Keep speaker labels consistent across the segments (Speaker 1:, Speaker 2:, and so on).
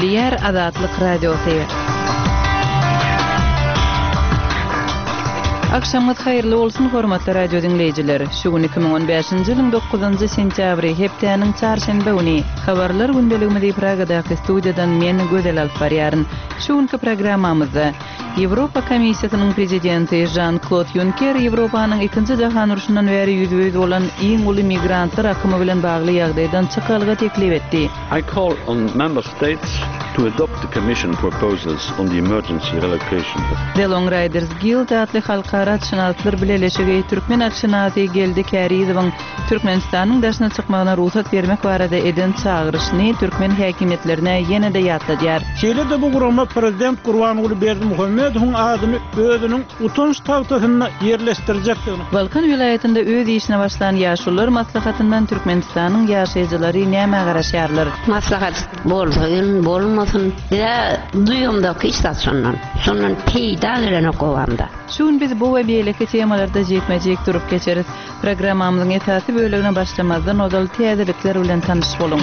Speaker 1: Gepleýär Azatlyk Radiosy. Agşamyňyz haýyrly bolsun, hormatly radio diňleýjiler! Şu gün 2015-nji ýylyň dokuzynjy sentýabry, hepdäniň çarşenbe güni. Habarlar gündeligimizi Pragadaky studiýadan men, Gözel alyp barýaryn. Şu günki programmamyzda, Ýewropa Komissiýasynyň prezidenti Žan-Klod Ýunker Ýewropanyň Ikinji jahan urşundan bäri ýüzbe-ýüz bolan iň uly migrantlar akymy bilen bagly ýagdaýdan çykalga teklip etdi.
Speaker 2: I call on Member States to adopt the Commission proposals on the emergency relocation of.
Speaker 1: The Long Riders Guild atly halkara atşynaslar bileleşigi türkmen atşynasy Geldi Kärizowyň Türkmenistanyň daşyna çykmagyna rugsat bermek barada eden çagyryşyny türkmen häkimiýetlerine ýene-de ýatladýar.
Speaker 3: Şeýle-de bu gurama prezident Gurbanguly Berdimuhamedowyň adyny özüniň utanç tagtasynda ýerleşdirjekdigini.
Speaker 1: Balkan welaýatynda öz işine başlan Ýaşulular maslahatyndan Türkmenistanyň ýaşaýjylary nämä garaşýarlar?
Speaker 4: Maslahat bolsun, bolmasyn, biz-ä duýamzok hiç zat şondan. Şondan peýda gelenok obamda.
Speaker 1: Şu gün biz bu we beýleki temalarda jikme-jik durup geçeris. Programmamyzyň esasy bölegine başlamazdan ozal täzelikler bilen tanyş boluň.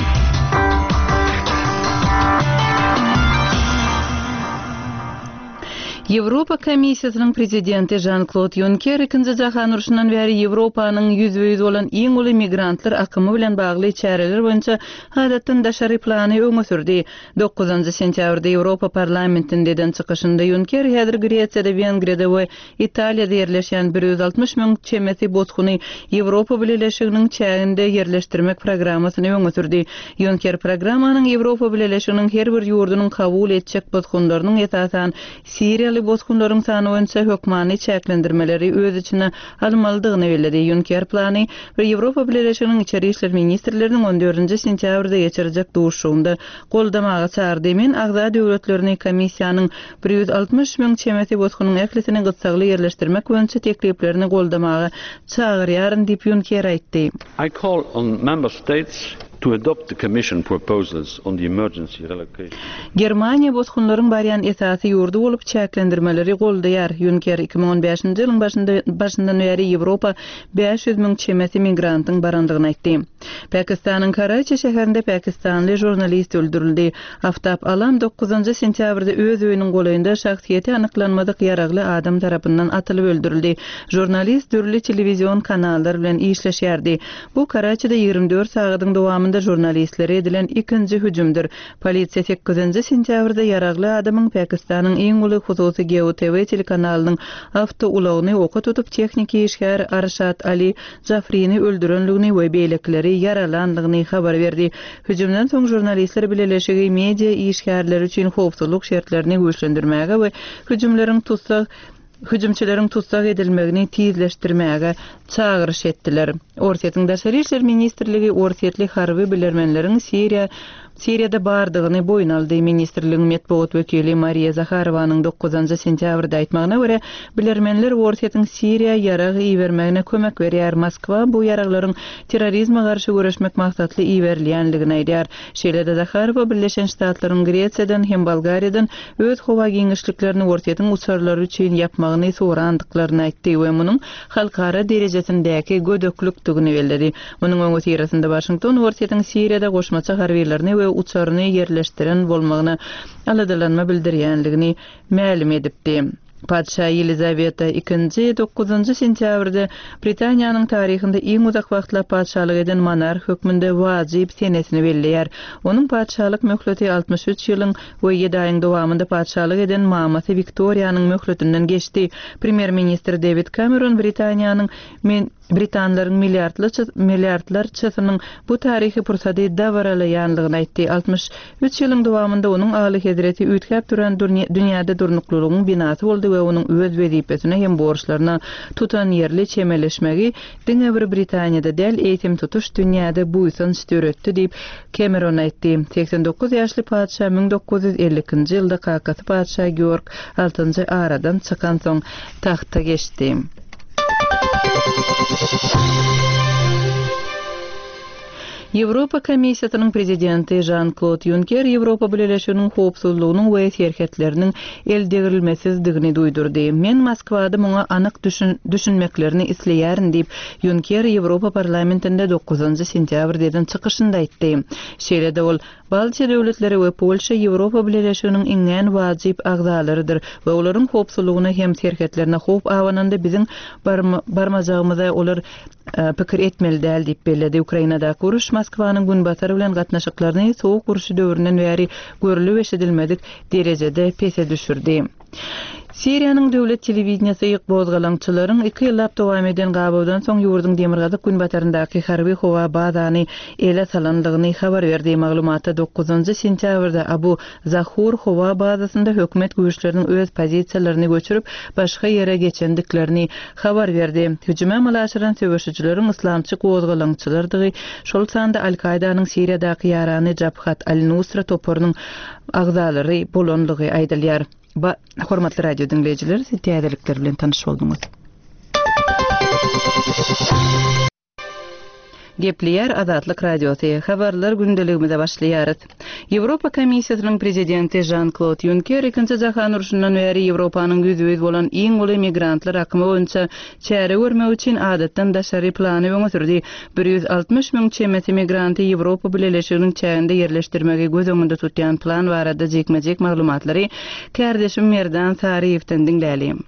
Speaker 1: Ýewropa Komissiýasynyň prezidenti Žan-Klod Ýunker Ikinji jahan urşundan bäri Ýewropanyň ýüzbe-ýüz bolan iň uly migrantlar akymy bilen bagly çäreler boýunça adatdan daşary plany öňe sürdi. Dokuzynjy sentýabrda Ýewropa Parlamentinde eden çykyşynda Ýunker häzir Gresiýada, Wengriýada we Italiýada ýerleşýän 160 müň çemesi bosguny Ýewropa Bileleşiginiň çäginde ýerleşdirmek programmasyny öňe sürdi. Ýunker programmanyň Ýewropa Bileleşiginiň her bir ýurdunyň kabul etjek bosgunlarynyň, esasan, siriýaly bosgunlaryň sany boýunça hökmany çäklendirmeleri öz içine almalydygyny belledi. Ýunker plany bir Ýewropa Bileleşiginiň içeri işler ministrleriniň on dördünji sentýabrda geçirjek duşuşygynda goldamaga çagyrdy. Men agza döwletlerini komissiýanyň 160 müň çemesi bosgunyň ählisini gyssagly ýerleşdirmek boýunça tekliplerini goldamaga çagyrýaryn diýip, Ýunker aýtdy.
Speaker 2: I call on Member States to adopt the Commission proposals on the emergency relocation.
Speaker 1: Germaniýa bosgunlaryň barýan esasy ýurdy bolup, çäklendirmeleri goldaýar. Ýunker 2015-nji ýylyň başynda başyndan bäri Ýewropa 500 müň çemesi migrantyň barandygyny aýtdy. Pakistanyň Karaçi şäherinde pakistanly žurnalist öldürildi. Aftab Alam dokuzynjy sentýabrda öz öýüniň golaýynda şahsyýeti anyklanmadyk ýaragly adam tarapyndan atylyp öldürildi. Žurnalist dürli telewizion kanallar bilen işleşýärdi. Bu Karaçide 24 sagadyň dowamynda žurnalistlere edilen ikinji hüjümdir. Polisiýa sekizinji sentýabrda ýaragly adamyň Pakistanyň iň uly hususy Geo TV telekanalynyň awtoulagyny oka tutup tehniki işgär Arşad Ali Jafrini öldürenligini we beýlekileri ýaralandygyny habar berdi. Hüjümden soň Žurnalistler bileleşigi media işgärleri üçin howpsuzlyk şertlerini güýçlendirmäge we hüjümleriň tussag hüjümçileriň tussag edilmegini tizleşdirmäge çagyryş etdiler. Orsýetiň Daşary işler ministrligi orsýetli harby bilermenleriň Siriýa Siriýada bardygyny boýun aldy. Ministrligiň metbugat wekili Mariýa Zaharowanyň dokuzynjy sentýabrda aýtmagyna görä, bilermenler Orsýetiň Siriýa ýarag ibermegine kömek berýär, Moskwa bu ýaraglaryň terrorizme garşy göreşmek maksatly iberilýändigini aýdýar. Şeýle-de Zaharowa Birleşen Ştatlaryň Gresiýadan hem Bolgariýadan öz howa giňişliklerini Orsýetiň uçarlary üçin ýapmagyny sorandyklaryny aýtdy we munuň halkara derejesindäki gödeklikdigini belledi. Munuň öňüsyrasynda Waşington Orsýetiň Siriýada goşmaça harbylaryny we uçaryny ýerleşdiren bolmagyna aladalanma bildirýänligini mälim edipdi. Patyşa Ýelizaweta II dokuzynjy sentýabrda Britaniýanyň taryhynda iň uzak wagtlap patyşalyk eden monarh hökmünde wajyp senesini belleýär. Onuň patyşalyk möhleti 63 ýylyň we ýedi aýyň dowamynda patyşalyk eden mamasy Wiktoriýanyň möhletinden geçdi. Premýer-ministr Dewid Kameron Britaniýanyň Britanlaryň milliardlarçasynyň bu taryhy pursady dabaralaýanlygyny aýtdy. 63 ýylyň dowamynda onuň Alyhezreti üýtgäp duran dünýäde durnuklylygyň binasy boldy we onuň öz wezipesine hem borçlaryna tutanýerli çemeleşmegi diňe bir Britaniýada däl, eýsem tutuş dünýäde buýsanç döretdi diýip, Kemeron aýtdy. 89 ýaşly patyşa 1952-nji ýylda kakasy patyşa Georg Altynjy aradan çykansoň tagta geçdi. Ýewropa Komissiýasynyň Prezidenti Žan-Klod Ýunker Ýewropa Bileleşiginiň howpsuzlygynyň we serhetleriniň eldegrilmesizdigini duýdurdy. Men Moskwada muňa anyk düşünmeklerini isleýärin diýip, Ýunker Ýewropa Parlamentinde dokuzynjy sentýabrda eden çykyşynda aýtdy. Şeýle-de ol, Baltiýa döwletleri we Polşa Ýewropa Bileleşiginiň iňňän wajyp agzalarydyr we olaryň howpsuzlygyna hem serhetlerine howp abananda biziň barmajagymyza olar pikir etmeli däl diýip belledi. Ukrainadaky uruş Moskwanyň Günbatar bilen gatnaşyklaryny Sowuk urşy döwründen bäri görlüp-eşidilmedik derejede pese düşürdi. Siriýanyň döwlet telewideniýesi gozgalaňçylaryň iki ýyllap dowam eden gabawdan soň ýurduň demirgazyk-günbataryndaky harby howa bazany ele salandygyny habar berdi. Maglumatda dokuzynjy sentýabrda Abu Zahur howa bazasynda hökümet güýçleriniň öz pozisiýalaryny göçürip, başga ýere geçendiklerini habar berdi. Hüjümi amala aşyran söweşijileriň yslamçy gozgalaňçylardygy, şol sanda Al-Kaýdanyň Siriýadaky ýarany Jabhat al-Nusra toparynyň agzalary bolanlygy aýdylýar. Ba, hormatly radio diňleýjiler, siz täzelikler bilen tanyş bolduňyz. Gepleýär Azatlyk Radiosy, Habarlar gündeligimize başlaýarys. Ýewropa Komissiýasynyň Prezidenti Žan-Klod Ýunker Ikinji jahan urşundan bäri Ýewropanyň ýüzbe-ýüz bolan iň uly migrantlar akymy boýunça çäre görmek üçin adatdan daşary plany öňe sürdi. 160 müň çemesi migranty Ýewropa Bileleşiginiň çäginde ýerleşdirmegi göz öňünde tutýan plan barada jikme-jik maglumatlary kärdeşim Merdan Saryýewden diňläliň.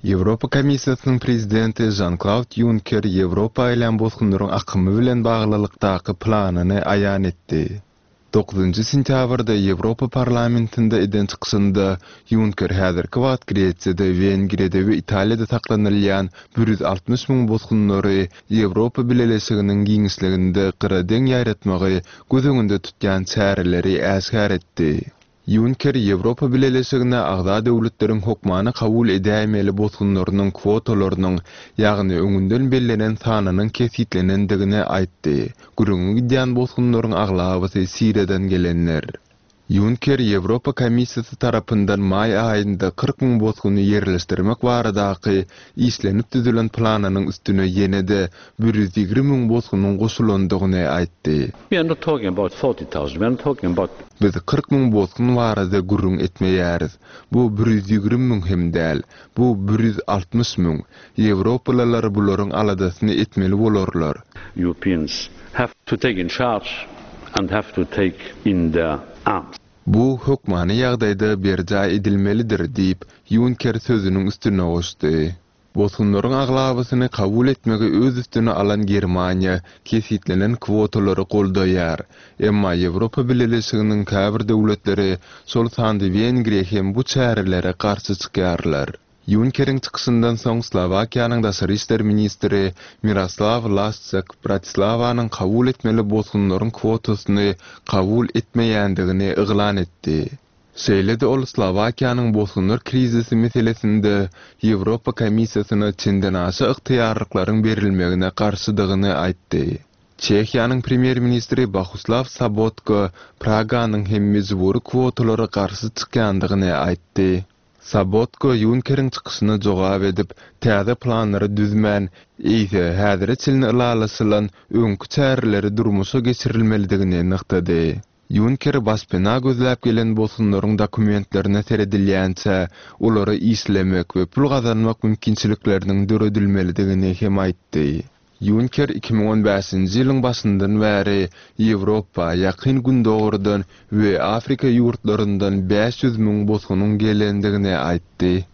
Speaker 5: Ýewropa Komissiýasynyň Prezidenti Žan-Klaud Ýunker Ýewropa gelýän bosgunlaryň akymy bilen baglylykdaky planyny aýan etdi. Dokuzynjy sentýabrda Ýewropa Parlamentinde eden çykyşynda Ýunker häzirki wagt Gresiýada, Wengriýada we Italiýada saklanylýan 160 müň bosgunlary Ýewropa Bileleşiginiň giňişliginde gyradeň ýaýratmagy göz öňünde tutýan çäreleri äşgär etdi. Ýunker Ýewropa Bileleşigine agza döwletleriň hokmany kabul edäýmeli bosgunlarynyň kwotalarynyň, ýagny öňünden bellenen sanynyň kesgitlenendigini aýtdy. Gürrüňi gidýän bosgunlaryň aglabasy Siriýadan gelenler. Ýunker Ýewropa Komissiýasy tarapyndan maý aýynda 40 müň bosguny ýerleşdirmek baradaky işlenip düzülen planynyň üstüne ýene-de 120 müň bosgunyň goşulandygyny aýtdy.
Speaker 2: We are not talking about 40,000, we are not talking about.
Speaker 5: Biz 40 müň bosgun barada gürrüň etmeýäris. Bu 120 müň hem däl. Bu 160 müň. Ýewropalylar bularyň aladasyny etmeli bolarlar.
Speaker 2: Europeans have to take in charge and have to take in their arms.
Speaker 5: Bu hökmany ýagdaýda berjaý edilmelidir diýip, Ýunker sözüniň üstüne goşdy. Bosgunlaryň aglabasyny kabul etmegi öz üstüne alan Germaniýa kesgitlenen kwotalary goldaýar. Emma Ýewropa Bileleşiginiň käbir döwletleri, şol sanda Wengriýa hem bu çärelere garşy çykýarlar. Ýunkeriň çykyşyndan soň Slowakiýanyň daşary işler ministri Miroslaw Laşçak Bratislawanyň kabul etmeli bosgunlaryň kwotasyny kabul etmeýändigini yglan etdi. Şeýle-de ol Slowakiýanyň bosgunlar krizisi meselesinde Ýewropa Komissiýasyna çendenaşa ygtyýarlyklaryň berilmegine garşydygyny aýtdy. Çehiýanyň premýer-ministri Bohuslaw Sobotka Praganyň hem mejbury kwotalara garşy çykýandygyny aýtdy. Sobotka Ýunkeriň çykyşyna jogap edip, täze planlary düzmän, eýse, häzire çenli ylalaşylan öňki çäreleri durmuşa geçirilmelidigini nygtady. Ýunker başpena gözläp gelen bosgunlaryň dokumentlerine seredilýänçä, olara işlemek we pul gazanmak mümkinçilikleriniň döredilmelidigini hem aýtdy. Ýunker 2015-nji ýylyň başyndan bäri Ýewropa, Ýakyn Gündogardan we Afrika ýurtlaryndan 500 müň bosgunyň gelendigini aýtdy.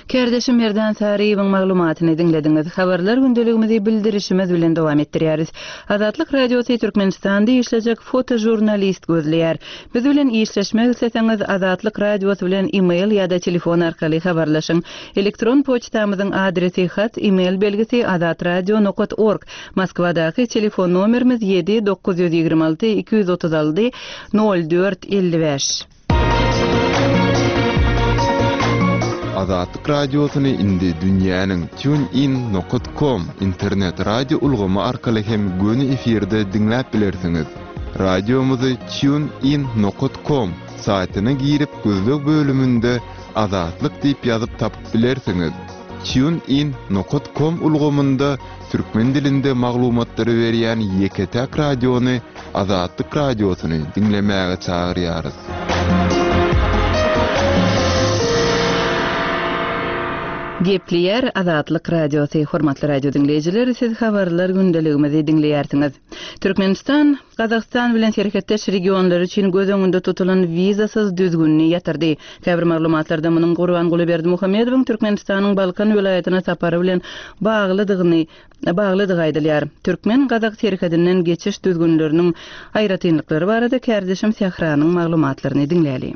Speaker 1: Kärdeşim Merdan Saryýewiň maglumatyny diňlediňiz. Habarlar gündeligimizi bildirişimiz bilen dowam etdirýäris. Azatlyk Radiosy Türkmenistanda işlejek fotožurnalist gözleýär. Biz bilen işleşmek isleseňiz Azatlyk Radiosy bilen e-mail ýa-da telefon arkaly habarlaşyň. Elektron poçtamyzyň adresi hat, e-mail belgisi azatradio nokat org. Moskwadaky telefon nomerimiz 7 926 236 04 55.
Speaker 5: Azatlyk Radiosyny indi dünýäniň TuneIn nokat kom internet radio ulgamy arkaly hem göni efirde diňläp bilersiňiz. Radiomyzy TuneIn nokat kom saýtyna girip gözleg bölüminde Azatlyk diýip ýazyp tapyp bilersiňiz. TuneIn nokat kom ulgamynda türkmen dilinde maglumatlary berýän ýeke-täk radiony. Azatlyk Radiosyny diňlemäge çagyrýarys.
Speaker 1: Gepleýär Azatlyk Radiosy, Hormatly radio diňleýjiler, siz habarlar gündeligimizi diňleýärsiňiz. Türkmenistan Gazagystan bilen serhetdeş regionlar üçin göz öňünde tutulan wizasyz düzgünini ýatyrdy. Käbir maglumatlarda munuň Gurbanguly Berdimuhamedowyň Türkmenistanyň Balkan welaýatyna sapary bilen baglydygyny baglydygy aýdylýar. Türkmen-gazak serhedinden geçiş düzgünleriniň aýratynlyklary barada kärdeşim Sähranyň maglumatlaryny diňläli.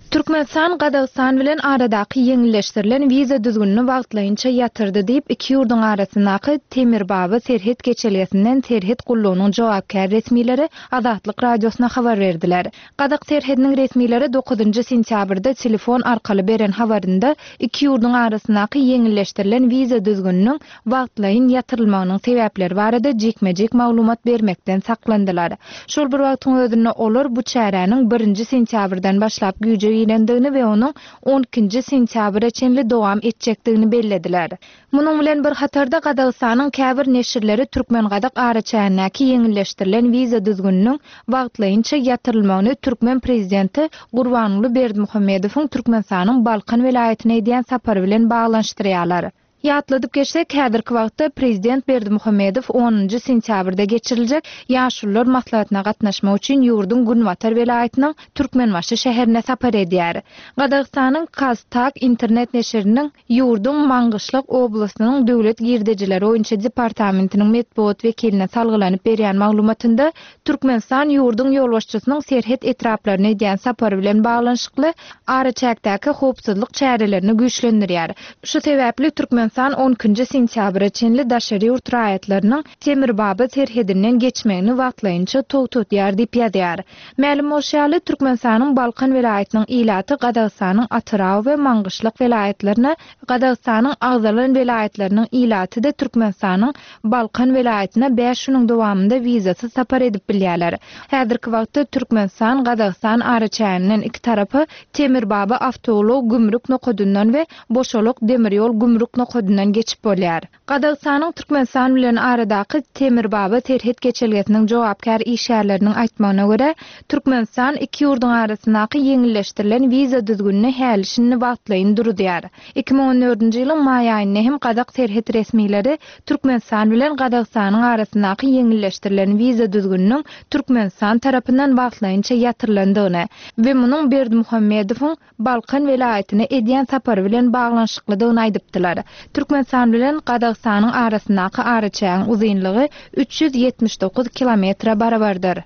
Speaker 6: Türkmenistan Gazagystan bilen aradaky ýeňilleşdirilen wiza düzgünini wagtlaýynça ýatyrdy diýip, iki ýurduň arasyndaky Temirbaba serhet geçelgesinden serhet gullugynyň jogapkär resmileri Azatlyk Radiosyna habar berdiler. Gazak serhediniň resmileri dokuzynjy sentýabrda telefon arkaly beren habarynda iki ýurduň arasyndaky ýeňilleşdirilen wiza düzgüniniň wagtlaýyn ýatyrylmagynyň sebäpleri barada jikme-jik maglumat bermekden saklandylar. Şol bir wagtyň özünde olar bu çäräniň birinji sentýabrdan başlap güýje girendigini we onuň on ikinji sentýabra çenli dowam etjekdigini bellediler. Munuň bilen bir hatarda Gazagystanyň käbir neşirleri türkmen-gazak araçägindäki ýeňilleşdirilen wiza düzgüniniň wagtlaýynça ýatyrylmagyny türkmen prezidenti Gurbanguly Berdimuhamedowyň Türkmenistanyň Balkan welaýatyna edýän sapary bilen baglanyşdyrýarlar. Ýatladyp geçsek, häzirki wagtda prezident Berdimuhamedow onunjy sentýabrda geçiriljek Ýaşulular maslahatyna gatnaşmak üçin ýurduň günbatar welaýatynyň Türkmenbaşy şäherine sapar edýär. Gazagystanyň KazTAG internet neşiriniň ýurduň Maňgyşlak oblastynyň döwlet girdejileri boýunça departamentiniň metbugat wekiline salgylanyp berýän maglumatynda Türkmenistan ýurduň ýolbaşçysynyň serhet etraplaryna edýän sapary bilen baglanyşykly araçäkdäki howpsuzlyk çärelerini güýçlendirýär. Şu sebäpli Türkmenistan on ikinji sentýabra çenli daşary ýurt raýatlarynyň Temirbaba serhedinden geçmegini wagtlaýynça togtatýar diýip ýazýar. Mälim bolşy ýaly, Türkmenistanyň Balkan welaýatynyň ilaty Gazagystanyň Atyrau we Maňgyşlak welaýatlaryna, Gazagystanyň agzalan welaýatlarynyň ilaty-da Türkmenistanyň Balkan welaýatyna bäş günüň dowamynda wizasyz sapar edip bilýärler. Häzirki wagtda Türkmenistan, Gazagystan araçäginden iki tarapa Temirbaba awtoulag gümrük nokadyndan we Boşalak demir ýol gümrük nokadyndan geçip bolýar. Gazagystanyň Türkmenistan bilen aradaky Temirbaba serhet geçelgesiniň jogapkär işgärleriniň aýtmagyna görä, Türkmenistan iki ýurduň arasyndaky ýeňilleşdirilen wiza düzgünini häli-şindi wagtlaýyn duruzýar. 2014-nji ýylyň maý aýynda hem gazak serhet resmileri Türkmenistan bilen Gazagystanyň arasyndaky ýeňilleşdirilen wiza düzgüniniň Türkmenistan tarapyndan wagtlaýynça ýatyrylandygyny we munuň Berdimuhamedowyň Balkan welaýatyna edýän sapary bilen baglanyşyklydygyny aýdypdylar. Türkmenistan bilen Gazagystanyň arasyndaky araçägiň uzynlygy 379 kilometre barabardyr.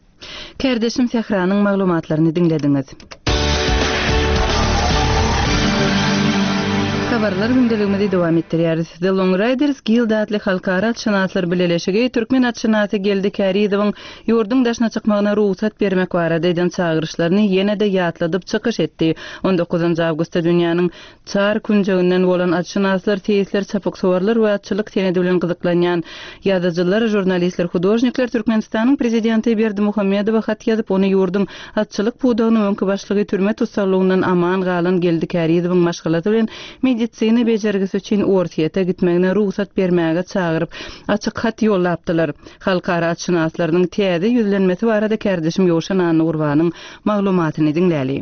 Speaker 1: Kärdeşim Sähranyň maglumatlaryny diňlediňiz. Habarlar gündeligimizi dowam etdirýäris. The Long Riders Guild atly halkara atşynaslar bileleşigi türkmen atşynasy Geldi Kärizowyň ýurduň daşyna çykmagyna rugsat bermek barada eden çagyryşlaryny ýene-de ýatladyp çykyş etdi. On dokuzynjy awgustda dünýäniň Çar künjeginden bolan atşynaslar, seýisler, çapyksuwarlar we atçylyk senedi bilen gyzyklanýan ýazyjylar, žurnalistler, hudožnikler Türkmenistanyň Prezidenti Berdimuhamedowa hat ýazyp, ony ýurduň atçylyk pudagynyň öňki başlygy, türme tussaglygyndan aman galan Geldi Kärizowyň maşgalasy bilen medisina bejergisi üçin Orsýete gitmegine rugsat bermäge çagyryp, açyk hat ýollapdylar. Halkara atşynaslarynyň täze ýüzlenmesi barada kärdeşim Ýowşan Annagurbanyň maglumatyny diňläli.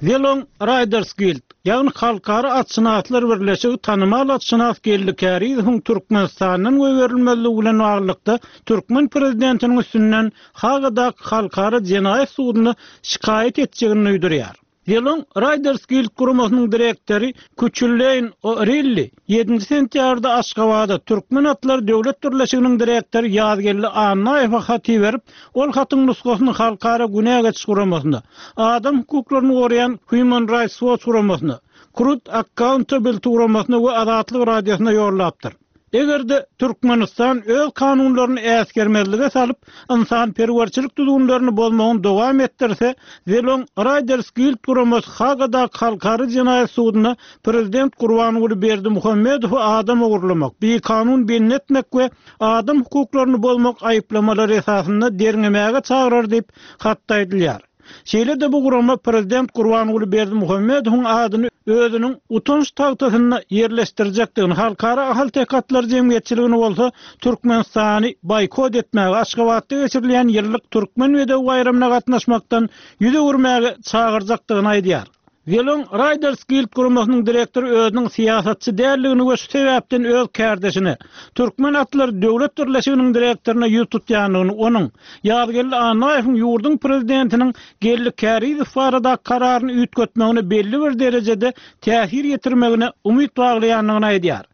Speaker 3: The Long Riders Guild, ýagny Halkara atşynaslar birleşigi tanymal atşynas Geldi Kärizowyň Türkmenistandan goýberilmezligi bilen baglylykda türkmen prezidentiniň üstünden Hagadaky Halkara jenaýat sudunda şikaýat etjegini duýdurýar. The Long Riders Guild guramasynyň direktory Küçülleýn O'Rilli Ýedinji sentýabrda Aşgabada Türkmen atlary döwlet birleşiginiň direktory Ýazgeldi Annaýewe hat iberip, ol hatyň nusgasyny Halkara günä geçiş guramasyna, adam hukuklaryny goraýan Human Rights Watch guramasyna, Crude Accountability guramasyna we Azatlyk Radiosyna ýollapdyr. Eger-de Türkmenistan öz kanunlaryny äsgermezlige salyp, ynsanperwerçilik düzgünlerini bozmagyny dowam etdirse, The Long Riders Guild guramasy Hagadaky Halkara jenaýat sudunda prezident Gurbanguly Berdimuhamedowy adam ogurlamak, bikanun bendi etmek we adam hukuklaryny bozmak aýyplamalary esasynda derňemäge çagyrar diýip, hatda aýdylýar. Şeýle-de bu gurama prezident Gurbanguly Berdimuhamedowyň adyny özüniň utanç tagtasynda ýerleşdirjekdigini, Halkara ahalteke atlary jemgyýetçiligini bolsa Türkmenistany boýkot etmäge, Aşgabatda geçirilýän ýyllyk Türkmen bedewi baýramyna gatnaşmakdan ýüz öwürmäge çagyrjakdygyny aýdýar. Zelon Riders Guild guramasynyň direktory özüniň syýasatçy däldigini we şu sebäpden öz kärdeşine, Türkmen atlary döwlet birleşiginiň direktoryna ýüz tutýandygyny, onuň, Ýazgeldi Annaýewiň ýurduň prezidentiniň Geldi Kärizow baradaky kararyny üýtgetmegine belli bir derejede täsir ýetirmegine umyt baglaýandygyny aýdýar.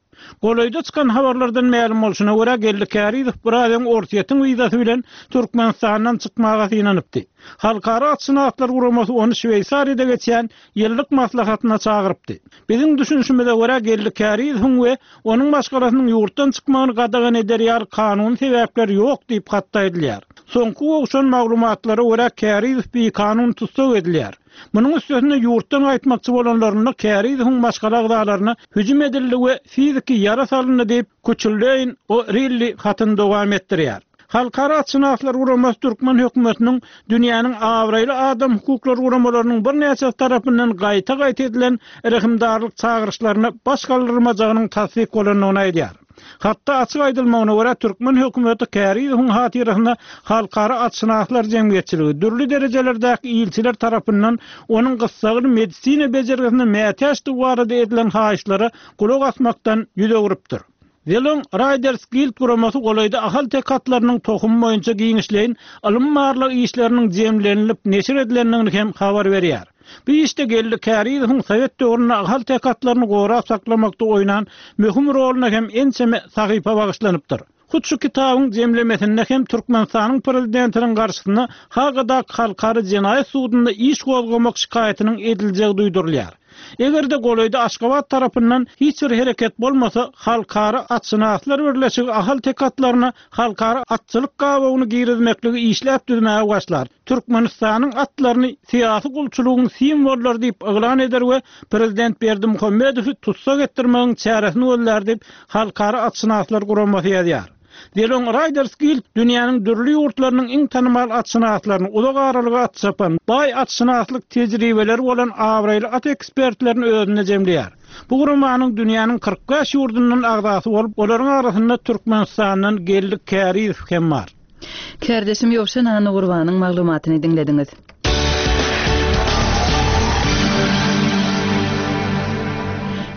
Speaker 3: Golaýda çykan habarlardan mälim bolşuna görä, Geldi Kärizow biraz öň Orsýetiň wizasy bilen Türkmenistandan çykmaga synanypdy. Halkara atşynaslar guramasy ony Şweýsariýada geçýän ýyllyk maslahatyna çagyrypdy. Biziň düşünişimize görä, Geldi Kärizowyň we onuň maşgalasynyň ýurtdan çykmagyny gadagan eder ýaly kanuny sebäpler ýok diýip hatda aýdylýar. Soňky gowşan maglumatlara görä, Kärizow bikanun tussag edilýär. Munuň üstesine ýurtdan gaýtmakçy bolanlarynda Kärizowyň maşgala agzalaryna hüjüm edildi we fiziki ýara salyndy diýip, Kuçulleýn O'Rilli hatyny dowam etdirýär. Halkara atşynaslar guramasy türkmen hökümetiniň dünýäniň abraýly adam hukuklary guramalarynyň birnäçesi tarapyndan gaýta-gaýta edilen rehimdarlyk çagyryşlaryna baş galdyrmajagynyň tassyk bolandygyny aýdýar. Hatda açyk aýdylmagyna görä, türkmen hökümeti Kärizowyň hatyrasyna halkara atşynaslar jemgyýetçiligi, dürli derejelerdäki ilçiler tarapyndan onuň gyssagly medisina bejergisine mätäçdigi barada edilen haýyşlara gulak asmakdan ýüz öwrüpdir. Zelon Riders Guild guramasy golaýda ahalteke atlarynyň tohumy boýunça giňişleýin ylmy-barlag işleriniň jemlenilip neşir edilendigini hem habar berýär. Bu işde Geldi Kärizowyň sowet döwründe ahalteke atlaryny gorap saklamakda oýnan möhüm roluna hem ençeme sahypa bagyşlanypdyr. Hut şu kitabyň jemlemesinde hem Türkmenistanyň Prezidentiniň garşysyna Hagadaky Halkara jenaýat sudunda iş gozgamak şikaýatynyň ediljegi duýdurylýar. Eger-de golaýda Aşgabat tarapyndan hiç bir hereket bolmasa, Halkara atşynaslar birleşigi ahalteke atlaryna halkara atçylyk gabawyny girizmekligi işläp düzmäge başlar, Türkmenistanyň atlaryny syýasy gulçulygyň simwollary diýip yglan eder we prezident Berdimuhamedowy tussag etdirmegiň çäresini gözlär diýip, Halkara atşynaslar guramasy ýazýar. Zelon Riders Guild dünýäniň dürli ýurtlarynyň iň tanymal atşynaslaryny, uzak aralyga at çapan, baý atşynaslyk tejribeleri bolan abraýly at ekspertlerini özünde jemleýär. Bu guramanyň dünýäniň 45 ýurdundan agzasy bolup, olaryň arasynda Türkmenistandan Geldi Kärizow hem bar.
Speaker 1: Kärdeşim Ýowşan Annagurbanyň maglumatyny diňlediňiz.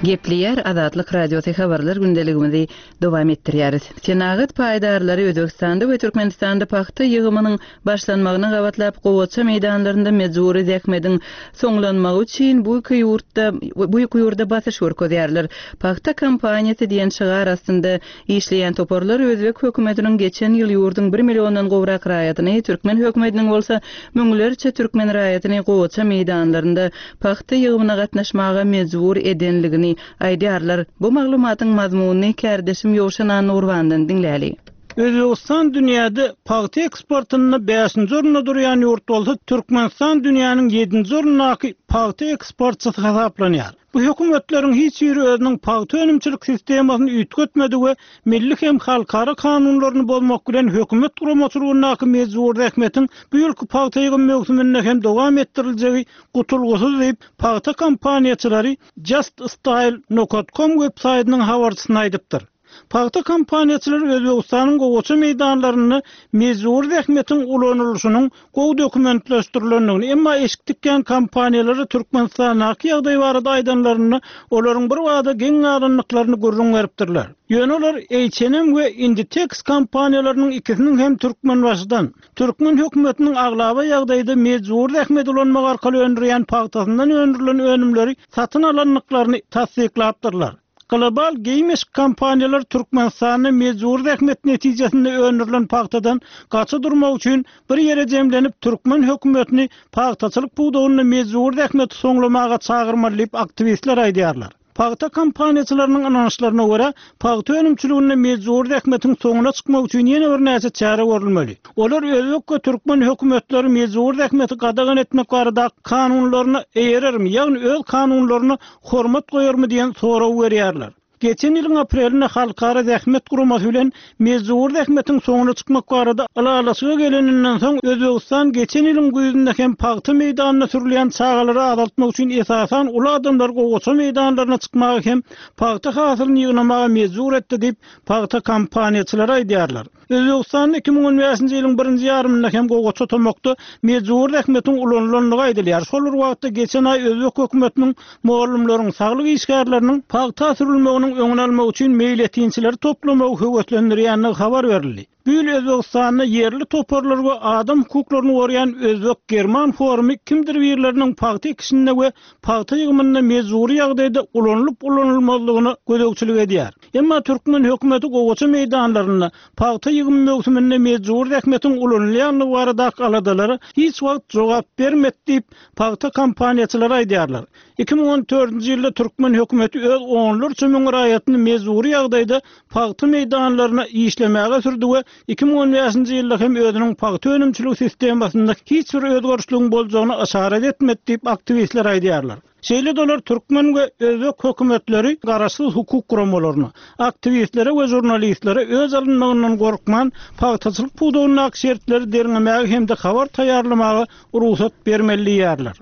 Speaker 1: Gepleýär Azatlyk Radiosy habarlar gündeligimizi dowam etdirýäris. Senagat paýdarlary Özbegistanda we Türkmenistanda pagta ýygymynyň başlanmagyna gabatlap gowaça meýdanlarynda mejbury zähmediň soňlanmagy üçin bu iki ýurtda bu iki ýurda basyş görkezýärler. Pagta kampaniýasy diýen şygar astynda Işleýän toparlar özbek hökümetiniň geçen ýyl ýurduň bir milliondan gowrak raýatyny, türkmen hökümetiniň bolsa müňlerçe türkmen raýatyny gowaça meýdanlarynda pagta ýygymyna gatnaşmaga mejbur edenligini aýdýarlar. Bu maglumatyň mazmunyny kärdeşim Ýowşan Annagurbandan diňläli.
Speaker 3: Özbegistan dünýäde pagta eksportynda bäşinji orunda durýan ýurt bolsa, Türkmenistan dünýäniň ýedinji orundaky pagta eksportçysy hasaplanýar. Bu hökümetleriň hiç biri özüniň pagta önümçilik sistemasyny üýtgetmedi we milli hem halkara kanunlaryny bozmak bilen hökümet guramaçylygyndaky mejbury zähmetiň bu ýylky pagta ýygym möwsüminde hem dowam etdiriljegi gutulgysyz diýip, pagta kompaniýaçylary JustStyle nokat kom websaýtynyň habarçysyna aýdypdyr. Pagta kompaniýaçylary Özbegistanyň gowaça meýdanlarynda mejbury zähmetiň ulanylyşynyň gowy dokumentleşdirilendigini, emma eşik tikýän kompaniýalara Türkmenistandaky ýagdaý barada aýdanlarynda olaryň birbada geň galandyklaryny gürrüň beripdirler. Ýöne olar H&M we Inditex kompaniýalarynyň ikisiniň hem Türkmenbaşydan, türkmen hökümetiniň aglaba ýagdaýda mejbury zähmet ulanmak arkaly öndürýän pagtasyndan öndürilen önümleri satyn alandyklaryny tassyklapdyrlar. Global geýim-eşik kompaniýalary Türkmenistanda mejbury zähmet netijesinde öndürilen pagtadan gaça durmak üçin bir ýere jemlenip, türkmen hökümetini pagtaçylyk pudagynda mejbury zähmeti soňlamaga çagyrmaly diýip, aktiwistler aýdýarlar. Pagta kompaniýaçylarynyň ynançlaryna görä, pagta önümçiliginde mejbury zähmetiň soňuna çykmak üçin ýene birnäçe çäre görülmeli. Olar özbek we türkmen hökümetleri mejbury zähmeti gadagan etmek baradaky kanunlaryna eýerermi, ýagny öz kanunlaryna hormat goýarmy diýen soragy berýärler. Geçen ýylyň aprelinde Halkara zähmet guramasy bilen mejbury zähmetiň soňuna çykmak barada ylalaşyga geleninden soň, Özbegistan geçen ýylyň güýzünde hem pagta meýdanynda sürülýän çagalary azaltmak üçin esasan uly adamlary gowaça meýdanlaryna çykmaga hem pagta hasylyny ýygnamaga mejbur etdi diýip, pagta kompaniýaçylary aýdýarlar. Özbegistanda 2015-nji ýylyň birinji ýarymynda hem gowaça tomakda mejbury zähmetiň ulanylandygy aýdylýar. Şol bir wagtda, geçen aý özbek hökümetiniň mugallymlaryň, saglyk işgärleriniň pagta sürülmeginiň öňüni almak üçin meýletinçileri toplamagy höweslendirýändigi habar berildi. Bu ýyl Özbegistanda ýerli toparlar we adam hukuklaryny goraýan özbek-german forumy kimdir birleriniň pagta ekişinde we pagta ýygymynda mejbury ýagdaýda ulanylyp-ulanylmazlygyna gözegçilik edýär. Emma türkmen hökümeti gowaça meýdanlarynda pagta ýygymy möwsüminde mejbury zähmetiň ulanylýandygy baradaky aladalara hiç wagt jogap bermedi diýip, pagta kompaniýaçylary aýdýarlar. 2014-nji ýylda türkmen hökümeti öz onlarça müň raýatyny mejbury ýagdaýda pagta meýdanlaryna işlemäge sürdi we 2015-nji ýylda hem özüniň pagta önümçiligi sistemasynda hiç bir özgerişligiň boljagyna yşarat etmedi diýip, aktiwistler aýdýarlar. Şeýle-de olar türkmen we özbek hökümetleri garaşsyz hukuk guramalaryna, aktiwistlere we žurnalistlere öç alynmagyndan gorkman, pagtaçylyk pudagyndaky şertleri derňemäge hem-de habar taýýarlamaga rugsat bermeli diýýärler.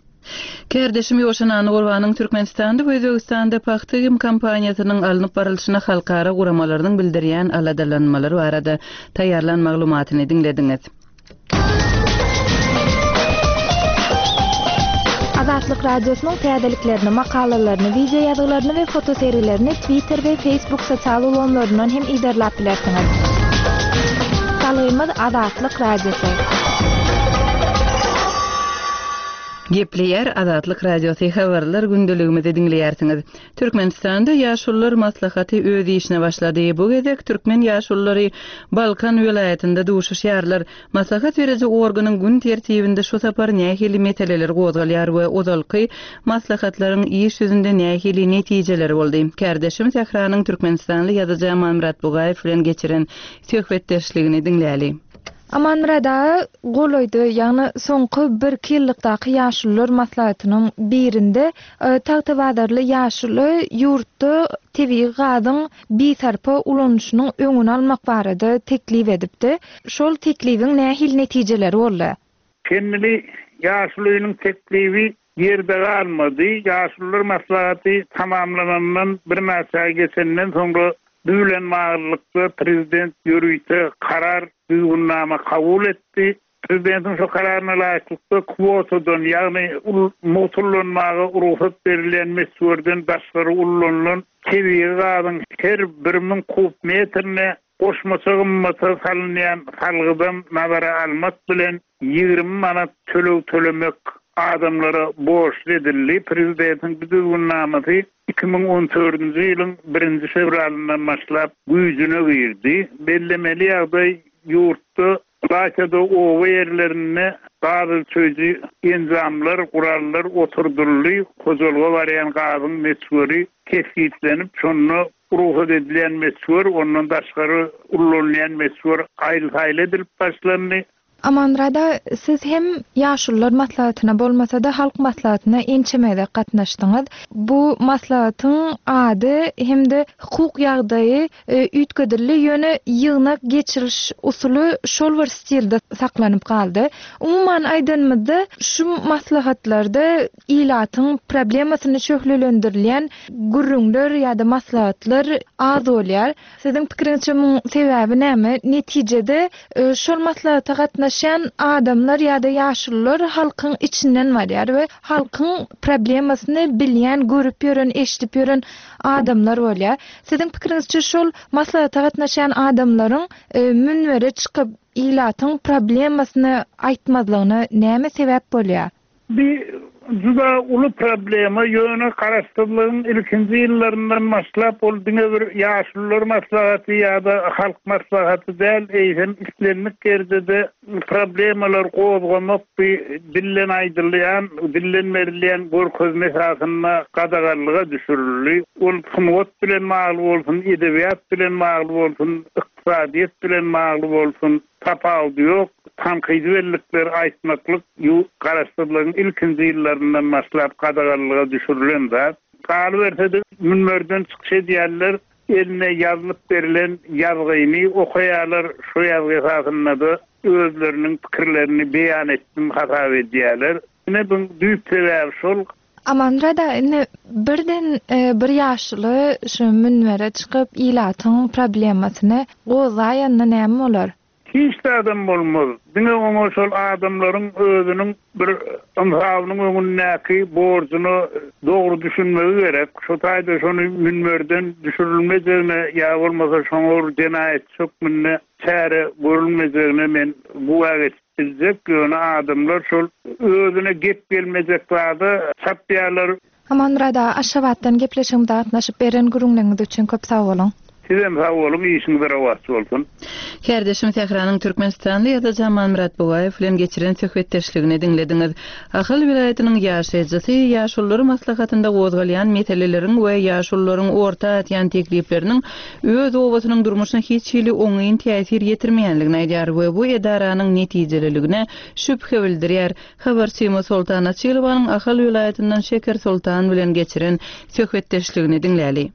Speaker 1: Kärdeşim Ýowşan Annagurbanyň Türkmenistanda we Özbegistanda pagta ýygym kampaniýasynyň alnyp barylşyna halkara guramalarynyň bildirýän aladalanmalary barada taýýarlan maglumatyny diňlediňiz.
Speaker 6: Azatlyk Radiosynyň täzeliklerini, makalalaryny, wideo ýazgylaryny we fotosergilerini Twitter we Facebook sosial ulgamlaryndan hem yzarlap bilersiňiz. Salgymyz Azatlyk Radiosy.
Speaker 1: Gepleýär Azatlyk Radiosy habarlar gündeligimizi diňleýärsiňiz. Türkmenistanda Ýaşulular maslahaty öz işine başlady. Bu gezek türkmen ýaşululary Balkan welaýatynda duşuşýarlar. Maslahat beriji organyň gün tertibinde şu sapar nähili meseleler gozgalýar we ozalky maslahatlaryň iş ýüzünde nähili netijeleri boldy? Kärdeşim Sähranyň türkmenistanly ýazyjy Amanmyrat Bugaýew bilen geçiren söhbetdeşligini diňläli.
Speaker 6: Amanmyrat aga, golaýda, ýagny soňky birki ýyllykdaky ýaşulular maslahatynyň birinde tagtabazarly ýaşuly ýurtda tebigy gazyň bisarpa ulanyşynyň öňüni almak barada teklip edipdi. Şol teklibiň nähili netijeleri boldy?
Speaker 7: Kendini ýaşulynyň teklibi ýerde galmady. Ýaşulular maslahaty tamamlanandan birnäçe aý geçenden soňra bu bilen baglylykda prezident ýörite karar, düzgünnama kabul etdi. Prezidentiň şu kararyna laýyklykda kwotadan, ýagny mugt ullanmaga rugsat berilýän möçberden daşgary ullanylan tebigy gazyň her 1000 kub metrine goşmaça gymmata salynýan salgydam nazara almak bilen 20 manat töleg tölemek adamlara borçly edildi. Prezidentiň bu düzgünnamasy 2014-nji ýylyň birinji fewralyndan başlap güýjüne girdi. Bellemeli ýagdaý, ýurtda, ylaýta-da oba ýerlerinde gaz ölçeýji enjamlar, gurallar oturdyldy, hojalyga barýan gazyň möçberi kesgitlenip, şonda rugsat edilýän möçber, ondan daşgary ullanylýan möçber aýyl-saýyl edilip başlandy.
Speaker 6: Amanmyrat aga, siz hem Ýaşulular maslahatyna bolmasa-da, Halk maslahatyna ençeme gezek gatnaşdyňyz. Bu maslahatyň ady hem-de hukuk ýagdaýy üýtgedildi, ýöne ýygnak geçiriş usuly şol bir stilde saklanyp galdy. Umuman aýdanymyzda, şu maslahatlarda ilatyň problemasyny şöhlelendirilýän gürrüňler ýa-da maslahatlar az bolýar. Siziň pikiriňizçe muň sebäbi näme? Netijede şol maslahata gatnaşýan adamlar ýa-da ýaşulular halkyň içinden barýar we halkyň problemasyny bilýän, görüp ýören, eşidip ýören adamlar bolýar. Siziň pikiriňizçe şol maslahata gatnaşýan adamlaryň münbere çykyp ilatyň problemasyny aýtmazlygyna näme sebäp bolýar?
Speaker 7: Bi juda uly problema, ýöne garaşsyzlygyň ilkinji ýyllaryndan başlap ol diňe bir Ýaşulular maslahaty ýa-da Halk maslahaty däl, eýsem islendik ýerde-de problemalar gozgamak bi dilden aýdylýan, dilden berilýän görkezme esasynda gadaganlyga düşürildi. Ol sungat bilen bagly bolsun, edebiýat bilen bagly bolsun, ykdysadyýet bilen bagly bolsun, Tapawudy ýok, tankydy bellikleri aýtmaklyk ýu Garaşsyzlygyň ilkinji ýyllaryndan başlap gadaganlyga düşürilen zat. Galyberse-de, münberden çykyş edýänler. eline ýazylyp berlen ýazgyny okaýarlar, şo ýazgy esasynda-da özleriniň pikirlerini beýan etdim hasap edýärler. Ine buň düýp sebäbi şol.
Speaker 6: Amanmyrat aga indi birden bir ýaşuly şu münbere çykyp ilatyň problemasyny gozgaýanda näme bolar?
Speaker 7: Hiç zadam bolmaz. Diňe oňa şol adamlaryň özüniň bir ynsabynyň öňündäki borjuna dogry düşünmegi gerek. Şo taýda şony münberden düşürilmejegine ýa bolmasa şoňa bir jenaýatçy hökmünde çäre görülmejegine men güwä geçip biljek. Ýöne adamlar şol özüne gep gelmejek zada çapýarlar.
Speaker 6: Amanmyrat aga Aşgabatdan gepleşigimize gatnaşyp beren gürrüňleriňiz üçin köp sag boluň.
Speaker 7: Sizem sag boluň işiňiz rowaç bolsun.
Speaker 1: Kärdeşim Sähranyň türkmenistanly ýazyjy Amanmyrat Bugaýew bilen geçiren söhbetdeşligini diňlediňiz. Ahal welaýatynyň ýaşaýjysy Ýaşulular maslahatynda gozgalýan meseleleriň we ýaşulularyň orta atýan teklipleriniň öz obasynyň durmuşyna hiç hili oňyn täsir ýetirmeýänligini aýdýar we bu edaranyň netijeliligine şübhe bildirýär. Habarçymyz Soltan Açylowanyň Ahal welaýatyndan Şeker Soltan bilen geçiren söhbetdeşligini diňläli.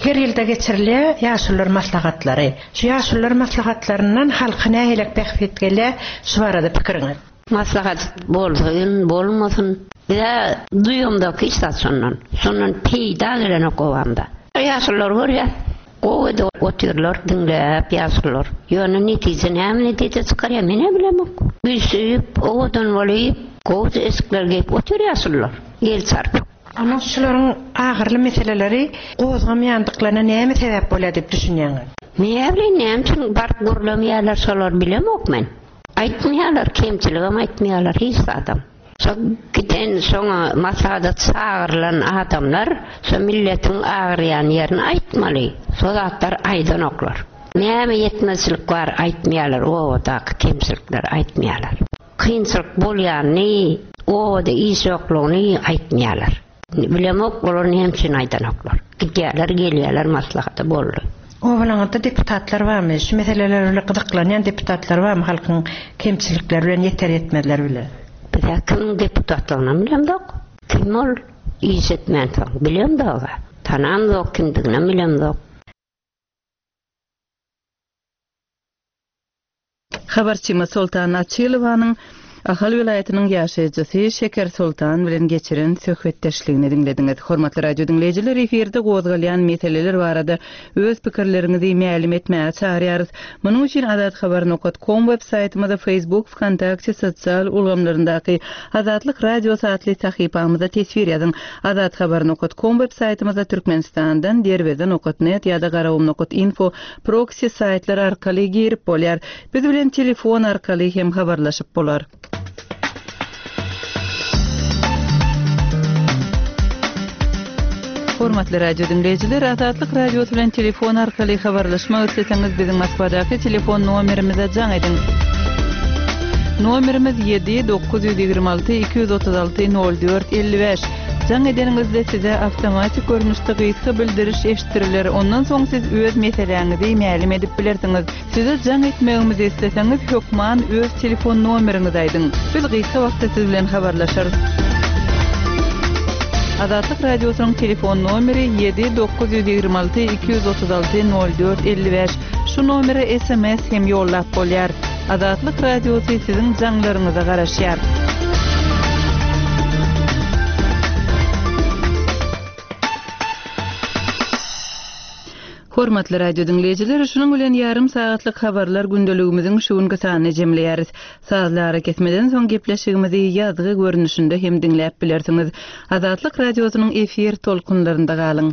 Speaker 8: Her ýylda geçirilýär ýaşulular maslahatlary. Şu ýaşulular maslahatlaryndan halka nähilek bähbit gelýär, şu barada pikiriňiz?
Speaker 4: Maslahat bolsyn, bolmasyn, biz-ä duýamzok hiç zat şondan. Şondan peýda gelenok obamda. Ýaşulular görýäs. Gowy edip otyrlar diňläp ýaşulular. Ýöne netije näme netije çykarýar menä bilemok. Üýşüp, owadan bolyp, gowja eşikler geýip otyr ýaşulular. El çarpyp.
Speaker 8: Onda şularyň agyrly meseleleri gozgamaýandyklaryna näme sebäp bolýar diýip düşünýäňiz?
Speaker 4: Näbileýin näme üçin baryp gürlemeýärler şolary bilemok men. Aýtmaýarlar kemçiligem aýtmaýarlar hiç zadam. Şo giden şoňa maslahata çagyrylan adamlar şo milletiň agyrýan ýerini aýtmaly. Şo zatlary aýdanoklar. Näme ýetmezçilik bar aýtmaýarlar obadaky kemçilikleri aýtmaýarlar. Kynçylyk bolýanyny obada iş ýoklugyny aýtmaýarlar. Bilemok olar näme üçin aýdanoklar. Gidýärler gelýärler maslahata boldy.
Speaker 8: Obalaňyzda deputatlar barmy? Şu meseleler bilen gyzyklanýan deputatlar barmy halkyň kemçilikleri bilen ýeter ýetmezleri bilen?
Speaker 4: Bizä kimiň deputatlygynam bilemzok. Kim ol iş etmänsoň bilemzoga. Tanamzok kimdiginem bilemzok.
Speaker 1: Habarçymyz Soltan Açylowanyň Ahal welaýatynyň ýaşaýjysy Şeker Soltan bilen geçiren söhbetdeşligini diňlediňiz. Hormatly radio diňleýjiler, efirde gozgalýan meseleler barada öz pikirleriňizi mälim etmäge çagyrýarys. Munuň üçin azathabar nokat kom web saýtymyza, Facebook, Wkontakte sosial ulgamlaryndaky Azatlyk Radiosy atly sahypamyza teswir ýazyň. Azathabar nokat kom web saýtymyza Türkmenistandan Derweze nokat net ýa-da Garagum nokat info Proksi saýtlar arkaly girip bolýar. Biz bilen telefon arkaly hem habarlaşyp bolar. Hormatly radio diňleýjiler, Azatlyk Radiosy bilen telefon arkaly habarlaşmak isleseňiz, biziň Moskwadaky telefon nomerimize jaň ediň. Nomerimiz 7 926 236 04 55. Jaň edeniňizde size awtomatik görnüşde gysga bildiriş eşitdiriler, ondan soň siz öz meseläňizi mälim edip bilersiňiz. Size jaň etmegimizi isleseňiz, hökman öz telefon nomeriňizi aýdyň. Biz gysga wagtda siz bilen habarlaşarys. Azatlyk Radiosynyň telefon nomeri 7 926 236 04 55. Şu nomere sms hem ýollap bolýar. Azatlyk Radiosy siziň jaňlaryňyza garaşýar. Hormatly radio diňleýjiler, şunuň bilen ýarym sagatlyk habarlar gündeligimiziň şu günki sanyny jemleýäris. Sazly arakesmeden soň gepleşigimizi ýazgy görnüşinde hem diňläp bilersiňiz. Azatlyk Radiosynyň efir tolkunlarynda galyň.